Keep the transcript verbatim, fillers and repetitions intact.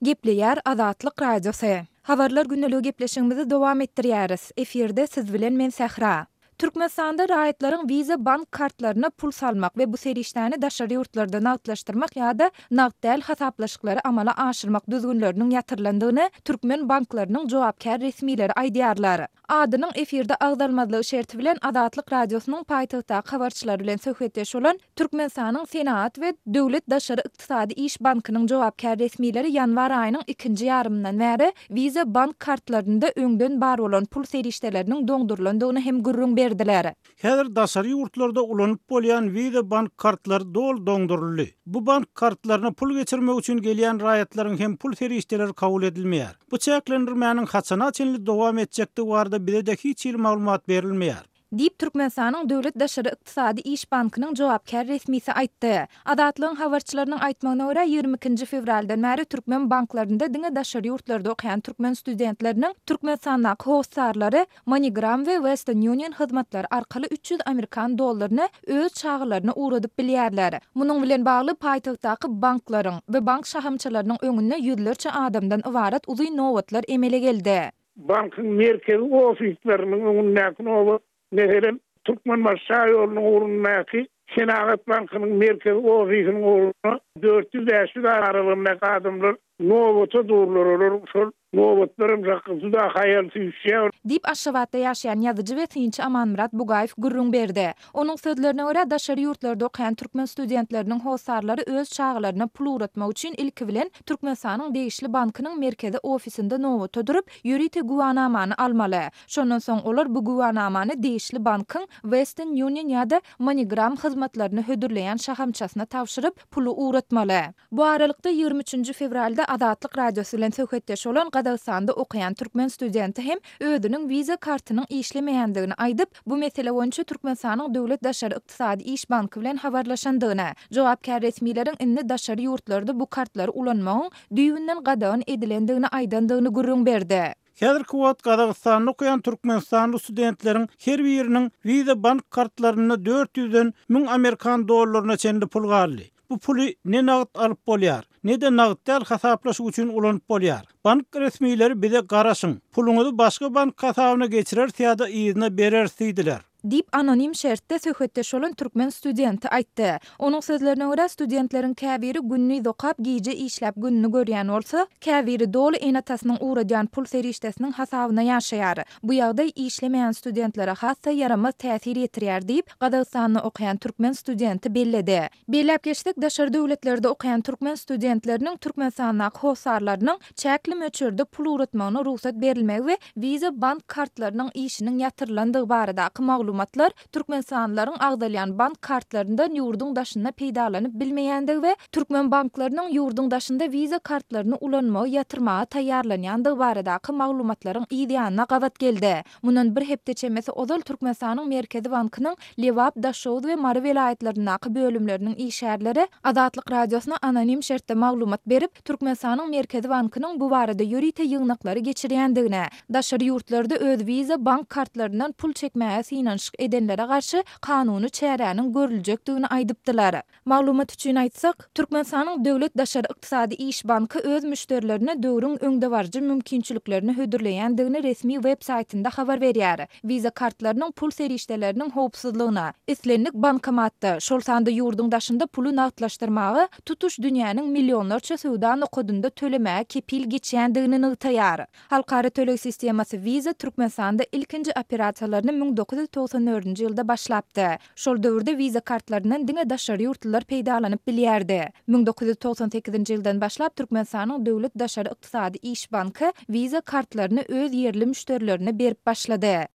Gepleýär Azatlyk Radiosy. Habarlar gündeligi gepleşigimizi dowam etdirýäris. Efirde siz bilen men Sähra. Türkmenistanda raýatlaryň Visa bank kartlaryna pul salmak we bu serişdäni daşary ýurtlarda nagtlaşdyrmak ýa-da nagt däl hasaplaşyklary amala aşyrmak düzgünleriniň ýatyrylandygyny türkmen banklarynyň jogapkär resmileri aýdýarlar. Adynyň efirde agzalmazlygy şerti bilen Azatlyk Radiosynyň paýtagtdaky habarçylary bilen söhbetdeş bolan Türkmenistanyň Senagat we Döwlet daşary ykdysady iş bankynyň jogapkär resmileri ýanwar aýynyň ikinji ýarymyndan bäri Visa bank kartlarynda öňden bar bolan pul serişdeleriniň doňdurylandygyny hem gürrüň berdiler. Häzir daşary ýurtlarda ulanyp bolýan Visa bank kartlary doly doňduryldy. Bu bank kartlaryna pul geçirmek üçin gelýän raýatlaryň hem pul serişdeleri kabul edilmeýär. Bu çäklendirmäniň haçana çenli dowam etjekdigi barada bize-de hiç hili maglumat berilmeýär. Diýip, Türkmenistanyň Döwlet daşary ykdysady iş bankynyň jogapkär resmisi aýtdy. Azatlygyň habarçylarynyň aýtmagyna görä, ýigrimi ikinji fewraldan bäri türkmen banklarynda diňe daşary ýurtlarda okaýan türkmen studentleriniň Türkmenistandaky hossarlary MoneyGram we Western Union hyzmatlary arkaly üç ýüz amerikan dollaryny öz çagalaryna ugradyp bilýärler. Munuň bilen bagly paýtagtdaky banklaryň we bank şahamçalarynyň öňünde ýüzlerçe adamdan ybarat uzyn nobatlar emele geldi. Bankyň merkezi ofisleriniň öňündäki nobat, meselem, Türkmenbaşy şaýolunyň ugrundaky Senagat bankynyň merkezi ofisiniň ugrunda dört ýüz-bäş ýüz aralygyndaky adamlar nobata durlar, olar şol nobatlar hem juda haýal süýşýär. Diýip, Aşgabatda ýaşaýan ýazyjy we synçy Amanmyrat Bugaýew gürrüň berdi. Onuň sözlerine görä, daşary ýurtlarda okaýan türkmen studentleriniň hossarlary öz çagalaryna pul ugratmak üçin ilki bilen Türkmenistanyň degişli bankynyň merkezi ofisinde nobata durup, ýörite güwänamany almaly. Şondan soň olar bu güwänamany degişli bankyň Western Union ýa-da MoneyGram hyzmatlaryny hödürleýän şahamçasyna tabşyryp, puly ugratmaly. Bu aralykda, ýigrimi üçünji fewralda Azatlyk Radiosy bilen söhbetdeş bolan Gazagystanda okaýan türkmen studenti hem özüniň Visa kartynyň işlemeýändigini aýdyp, bu mesele boýunça Türkmenistanyň Döwlet daşary ykdysady iş banky bilen habarlaşandygyny, jogapkär resmileriň indi daşary ýurtlarda bu kartlary ulanmagyň düýbünden gadagan edilendigini aýdandygyny gürrüň berdi. Häzirki wagt Gazagystanda okaýan türkmenistanly studentleriň her biriniň Visa bank kartlarynda dört ýüzden müň amerikan dollaryna çenli pul galdy. Bu puly ne nagt alyp bolýar, ne-de nagt däl hasaplaşyk üçin ulanyp bolýar. Bank resmileri bize garaşyň, puluňyzy başga bank hasabyna geçireris ýa-da yzyna bereris diýdiler. Diýip, anonim şertde söhbetdeş bolan türkmen studenti aýtdy. Onuň sözlerine görä, studentleriň käbiri gündiz okap, gije işläp gününi görýän bolsa, käbiri doly ene-atasynyň ugradýan pul serişdesiniň hasabyna ýaşaýar. Bu ýagdaý işlemeýän studentlere has-da ýaramaz täsir ýetirýär diýip, Gazagystanda okaýan türkmen studenti belledi. Belläp geçsek, daşary döwletlerde okaýan türkmen studentleriniň Türkmenistandaky hossarlarynyň çäkli möçberde pul ugratmagyna rugsat berilmegi we Visa bank kartlarynyň işiniň ýatyrylandygy baradaky maglumatlar türkmenistanlylaryň agzalýan bank kartlaryndan ýurduň daşynda peýdalanyp bilmeýändigi we türkmen banklarynyň ýurduň daşynda Visa kartlaryny ulanmagy ýatyrmaga taýýarlanýandygy baradaky maglumatlaryň yz ýanyna gabat geldi. Mundan bir hepde çemesi ozal Türkmenistanyň Merkezi bankynyň Lebap, Daşoguz we Mary welaýatlaryndaky bölümleriniň işgärleri Azatlyk Radiosyna anonim şertde maglumat berip, Türkmenistanyň Merkezi bankynyň bu barada ýörite ýygnaklary geçirýändigini, daşary ýurtlarda öz Visa bank kartlaryndan pul çekmäge synanyşyk edenlere garşy kanuny çäräniň görüljekdigini aýdypdylar. Maglumat üçin aýtsak, Türkmenistanyň Döwlet daşary ykdysady iş banky öz müşderilerine döwrüň öňdebaryjy mümkinçiliklerini hödürleýändigini resmi web saýtynda habar berýär. Visa kartlarynyň pul serişdeleriniň howpsuzlygyna, islendik bankomatda, şol sanda ýurduň daşynda puly nagtlaşdyrmaga, tutuş dünýäniň millionlarça söwda nokadynda tölemäge kepil geçýändigini nygtaýar. Halkara töleg sistemasy Visa Türkmenistanda ilkinji operasiýalaryny müň dokuz ýüz togsan dördünji ýylda başlapdy. Şol döwürde Visa kartlaryndan diňe daşary ýurtlular peýdalanyp bilýärdi. Müň dokuz ýüz togsan sekizinji ýyldan başlap Türkmenistanyň Döwlet daşary ykdysady iş banky Visa kartlaryny öz ýerli müşderilerine berip başlady.